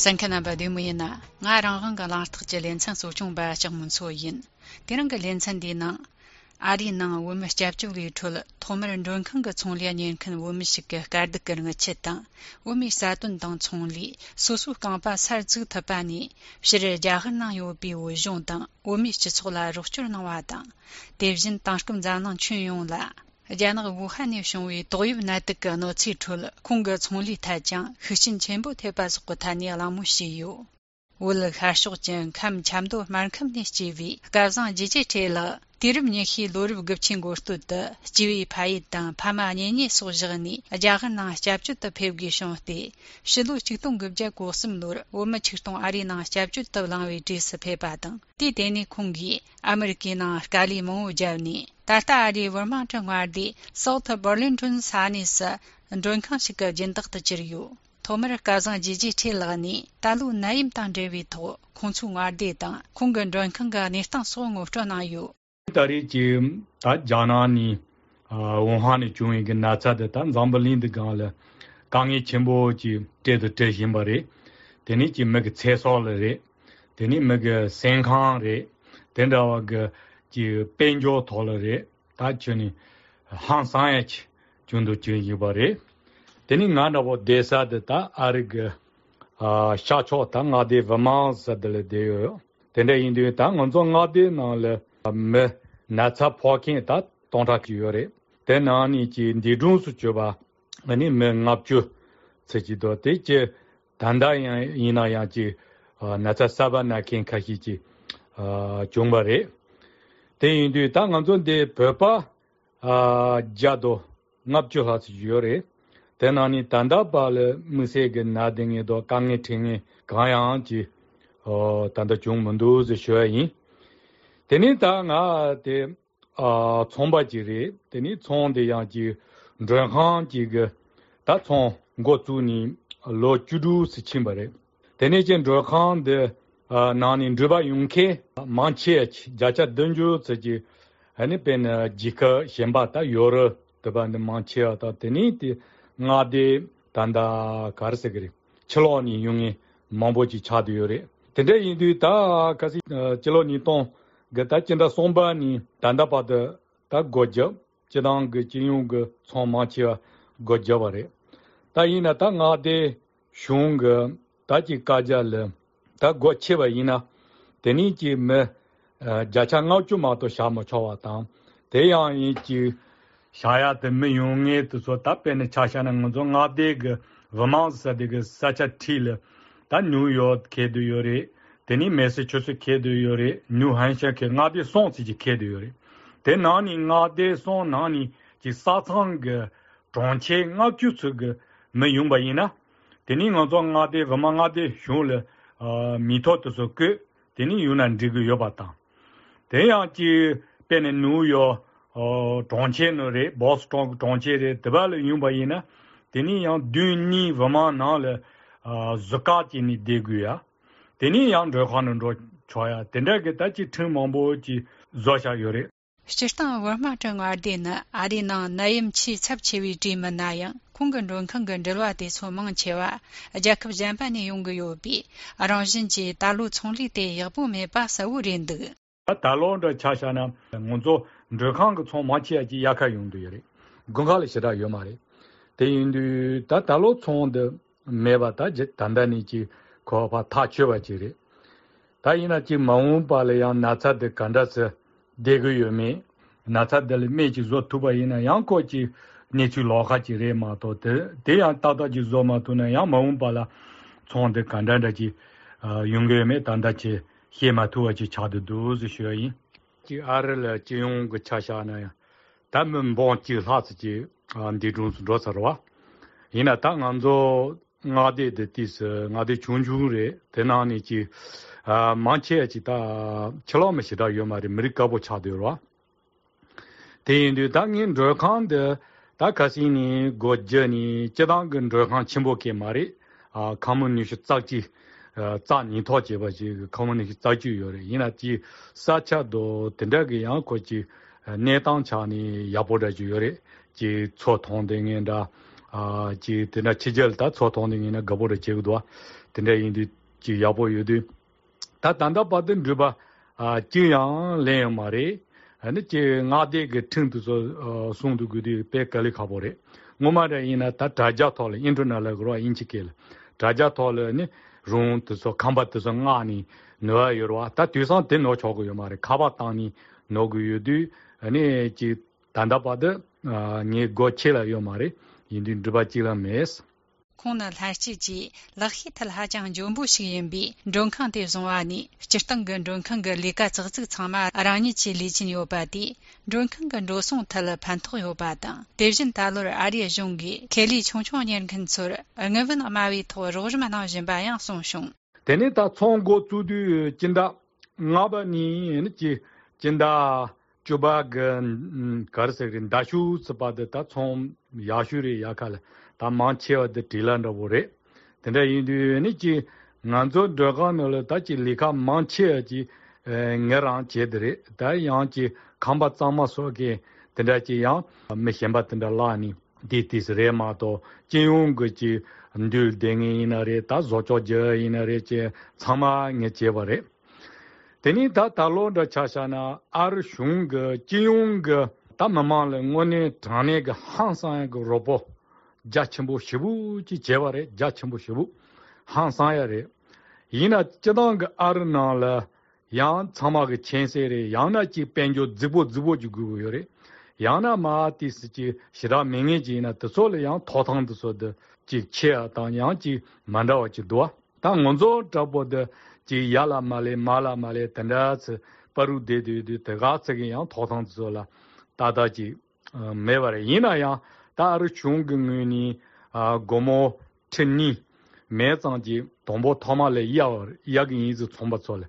Sankana ba dumuyina nga rangang ga lartag je lensan sochung ba changmun so yin dirang ga lensan di na ari na wum jabchu li thul thomer ndon khang ga chong lian yin kan wum shik ga gard ga nga chetang wum sa tun dang chong li su su kang ba sar zu ta ba ni shir ja han na yo bi wo jong dang wum chi chola ru chur na wa dang devjin tang shkum za nang chun yong la Janag Wuhan Shungwi Doyib Natika no Citrul, Kunga Chongli Tajang, Hushin Chenbo Tebas Gutani Alamu Shiyu. Wul Hashukjan Kam Chamdo Markam Nishivi, Gazan Jiji Taylor, Dirim Nihi Lurib Gupchin Gostud, Jivi Paidan, Pama Nini Sojani, Ajahana Jabjut the Pevgi Shonti, Shilu Chitung Gubja Gosum Lur, Woma Chitung Arina Jabjut the Langwi Dis Pebadan, Di Deni Kungi, Americana Gali Mo Javni. Tata Ari Verma Changwardi, South Burlington Sanis, and Dronkanshika Jendak the Jiryu. Tomer Kazan Jiji Tilani, Talu Naim Tandrevito, Konsung Ardeta, Kungan Dronkanga Nistan Song of Jonayu. Tari Jim, Tat Janani, Wuhan Chewing and Natsa the Tan Zambalin the Gala, Kangi Chimbo, Ted the Teshimbare, then it make a Tesol, then it make a Senkan re, then the Penjo tolerate, Tachuni, Hansayach, Jundu Chibare. Then in Nana Desa de Ta Arig Shacho Tanga de Vaman Sadele Deo. Then they in the Tang on Zongade Nale Natsa Poking that Tonta Cure. Then Anichi in the Dunsuchuba, and in Mengapchu, Sejido Teche, Tanda Inayaji, Natsa Sabana King Kahichi, Jumbare. They do Tanganzon de Purpa Jado Napju has Jure. Then Ani Tanda Bal Museg Nading do Kangiting Gayanji or Tanda Jung Mundu the Shui. Then it Tanga de Tomba Jiri, then it's on the Yaji Dranhan Jig, that's on Gotuni, Lord Judu Sichimbare. Then it's in Drakhan the Nanin Druba Yunke, Manchech, Jacha Dunju, Saji, and pen Jika, Shembata, Yora, the band Manchea, Teniti, Nade, Tanda Karsegri, Cheloni, Yungi, Mamboji Chadiore. Today in the Ta Kasi Cheloni Ton, Gatachinda Sombani, Tanda Pada, Ta Goja, Chedang, Chiung, Son Manchea, Gojavare. Taina Tangade, Shung, Tachi Kajal. Ta gocheva ina teni ji me jacha ngau chu ma to sha mo chawa ta de yang yi ji sha ya de me yong nge to so ta pe ne cha sha na ngo nga de ge vama sa de ge sa cha til ta New York ke de yore teni Massachusetts ke de yore New Hampshire ke nga de son ji ke de yore de na ni nga de son na ni ji sa chang ge zhong che nga ju chu ge me yong ba ina teni ngo nga de vama nga de shu le Mito to so good, then you and dig your bata. They are pen and New York or Donche, Boston, Donche, the Valley Yumbaina, then you do ni Vaman Nala Zakat in Deguya, then you under Hanan Choya, then they get that you turn on board Zosha Yore. Shishtan Warma Ardina, Adina, Naim Chi Sapchevi Jimanaya, Kungan Kangan Delwatis for Manchewa, a Jacob Jampani Yunga Yobi, Aranjinji, Dalu Tongli de Yabume Basa Urindu. Talon the Chashana, Monzo, Drakang Tom Machia Yaka Yunduri, Gungali Shida Yomari. They do that Talo Ton the Mevata Jet Tandanichi, Kopa Tacheva Chiri. Tainachi Maun Palayan Nata de Kandas. Degu Nata del Meji Zotuba in a Yankochi, Nichu Lohachi Remato, they are Tata Jizoma to Nayama Ton de Kandaji, Yungeme Tandachi, Hematuachi Chadu, the Shui, Arel Jiung Chashana, Tamen Bonchi Hatji, and the Drus Rosarwa. In a Tanganzo Nadi, that is Nadi Chunjure, Tenanichi. Manche chita chalomeshida yomari mirikabo chadura. They in the Dangin Durkan the Dakasini Gojani, Chedangan Durkan Chimboke Mari, common Nishitaki, Zani Tojibaji, common Nishitaki Yori, Inati, Sacha do Tendagi Yankochi, Netan Chani, Yaboda Juri, Ji Chotonding and Ji Tina Chijel, that Chotonding in a Gaboda Chigdwa. tenda indi ji yabo yudu ta tanda paden juba jiyang len mare ane ji ngade ge tingdu so songdu gudi pe kali khabore ngomare ina ta daja thol internal gro inchikele daja thol ne rung so kamba so ngani no yorwa ta tyusan den no chogo yo mare khaba tani no gu yudu ane ji tanda pade ni gochela yo mare indi juba chila mes Kona lashi ji lakhi talha jang jombu shiyinbi zhongkang de zongwani chirtang gan zhongkang ga lika zhigzig changma arani chi lichin yo badi zhongkang gan rosong tal pantok yo badang devjin dalor ariya zhongi keli chongchong nian kan tsur ngavan amawi to rojma na jinba yang song shong teni ta chonggo tudu jinda ngaba ni ji jinda juba gan karserin dashu sabada ta chong yashuri yakala ta mancheo de dilan robore tenda indu ni ji nganzo doga no ta ji lika mancheo ji ngeran chedre ta yang ji khamba tsama so ge tenda ji yang me hemba tenda la ni di tis re ma to jinung ge ji ndul dengi ina re ta zocho je ina re che tsama nge che bare teni ta talo da chashana ar shung ge jinung ge ta mama le ngone thane ge hansa ge robo 자침부 시부지 제발에 자침부 시부 항상야래 이나 저당 아르나라 양 참마게 첸세레 양나지 벤조 즈보 주고요래 양나 마티스지 시라 맹해지나 뜻솔 양 토탕도서드 지 체아당 양지 만다와지 도와 당 먼저 잡보드 지 야라 말레 단다스 파루데데 대가스게 양 토탕도서라 다다지 메바레 이나야 다르 중근이 고모 천니 매장지 동보 토마레 이야기 이즈 총바sol래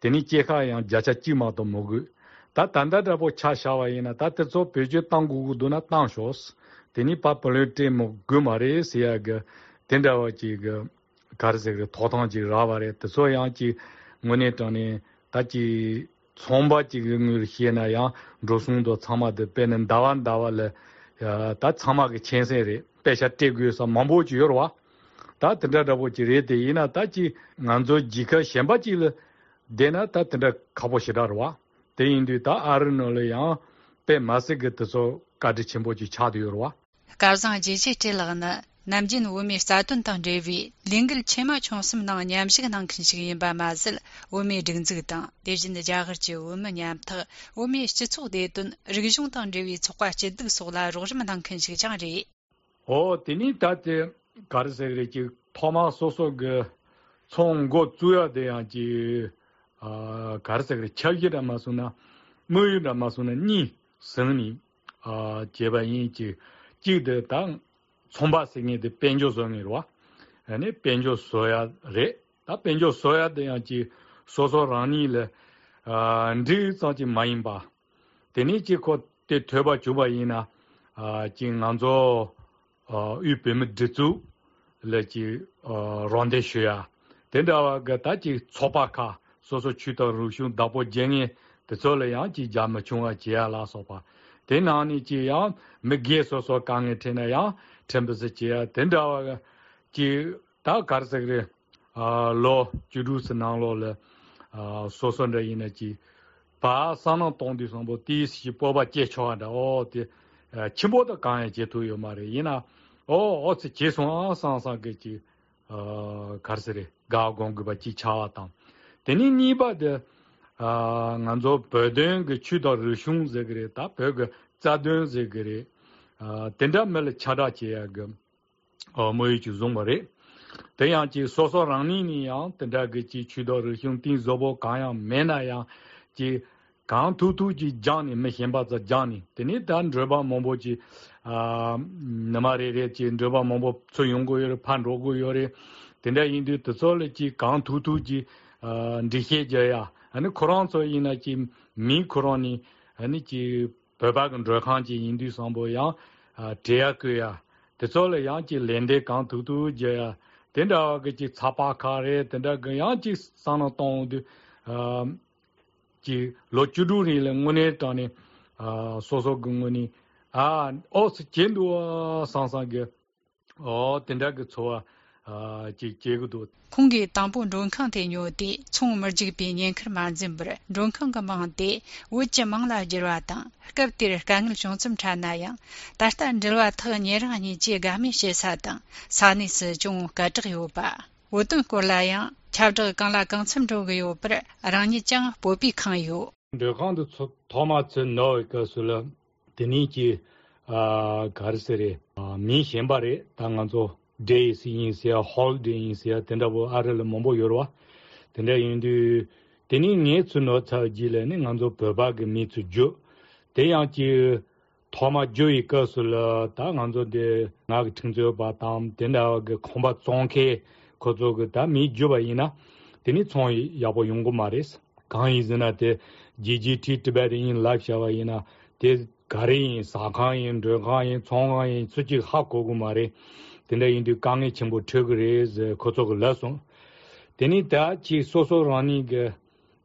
데니 제카야 자차찌마도 모그 다 단다다보 차샤와이나 다테조 베제 땅구구도나 땅쇼스 데니 파폴레테 모 그마레 시야가 덴다와지가 가르세가 토탕지 라바레 소야지 모네토네 다지 총바지금을 히에나야 로송도 참아데 빼는 다완다와레 다 참하게 천세리 배샤 떼고서 mam보지 요러와 다 든다다보지 레데이나 다지 난조 지카 셴바지를 데나 다 든다 가보시라와 데인디 다 아르노려야 배 마스게트서 가디 쳔보지 차디요러와 가르상 지지 텔라나 남진 우미 사돈 당제비 링글 체마 총심나 냠식 난 큰식 임바 마슬 우미 딩즈기다 대진의 자거지 우미 냠타 우미 시초데든 리기중 당제비 촉과치 득소라 로르만 난 큰식 장리 데니 다데 가르세르지 토마소소 그 총고 주야 돼야지 가르세르 철기라 마수나 무유라 마수나 니 성니 제바인지 지데 당 총바생에데 벤조성이로와 아니 벤조소야레 다 벤조소야 돼야지 소소라니레 인디사지 마임바 데니지 코테 퇴바 주바이나 징안조 유페메 드투 레지 론데슈야 된다와가 다지 초바카 소소 추더 루슌 다보 쟁이 데솔야지 자마충아 지야라 소바 데나니 지야 메게 소소 강에 테나야 temperature 된다와 지다 가르세그레 로 주루스나로 le 소선의 에너지 바 산업 동디선보 디시 뽑아 제초한다 데 침보도 강에 제도요 말에 이나 어스 제송 상상게지 가르세레 가공그바 지차왔다 데니 니바데 nganzo pöden ge chuda rishung zegre ta pöge zadön zegre tenda mel chada che ge moyi chu zongare deyang ji soso rangni ni yang tenda ge ji chuda rishung tin zobo kaya mena ya ji gang tu tu ji jani me hemba za jani teni dan dreba mombo ji namare re ji dreba mombo so yonggo yor pan rogo yore tenda indu tsole ji gang tu tu ji ndihe jaya 아니 코란소 이나지 미 코란이 아니지 배박은 저칸지 인디 선보야 대학교야 대sol에 양지 렌데 강투두 제야 된다 그지 차파카레 된다 그 양지 산노동도 지 로추두리를 문에 떠니 소소근문이 오스 젠도 상상게 된다 그 좋아 제거도 공기 당부 론캉테 뇨데 총머직 비년 크만진브르 론캉가 망데 우체 망라지라다 흑갑티르 강을 좀좀 차나야 다스탄 들와터 니르하니 제가미 셰사다 사니스 좀 가트요바 오든 콜라야 차저 강라 강침조게요 브르 아랑니짱 보비 칸요 르간도 토마츠 노이커슬라 데니지 가르세레 미셴바레 당간조 days in sia holiday in sia tendabo arel mombo yorwa tende indu teni nge tsuno cha jile ne nganzo baba ge mi tsu jo de yang ji thoma jo yi ka sul ta nganzo de na ge thingjo ba tam tenda ge khomba chongke kozo ge da mi jo ba ina teni chong ya bo yong go mares gang izna de ggt tibet in life shawa ina de gari sa khan in de khan chong in su ji ha go go mare tenda indu kange chimbo thegres khozog lason teni da chi soso rani ge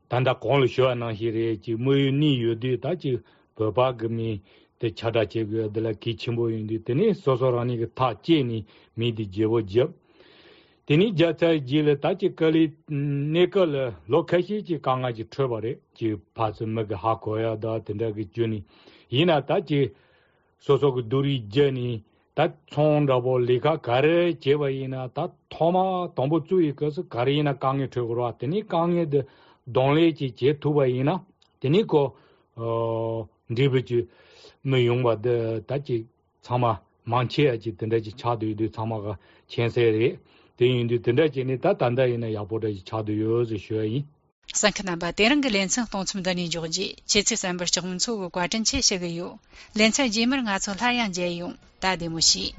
tanda kol sho na hire chi moy ni yodi da chi baba gmi te chada che ge de la ki chimbo indu teni soso rani ge ta che ni mi di jewo jeb teni jata jile ta chi kali nekal lokashi chi kanga chi thobare chi phas mag ha ko ya da tenda ge juni ina ta chi soso ge duri jeni 다 총라보 리가 가르 제바이나 다 토마 동부 주의 것을 가리나 강에 들고 왔더니 강에도 동래지 제투바이나 되니고 리브지 뭐용바데 다지 참아 많지야지 된다지 차도도 참아가 천세리 대인도 된다지니 다 단다이나 야보다지 차도요지 쉬어이 상크나바 데랑게 렌상 동침다니 조지 제체산버 적문소 과전 체세가요 렌차 제머 가서 하양 제용 다데모시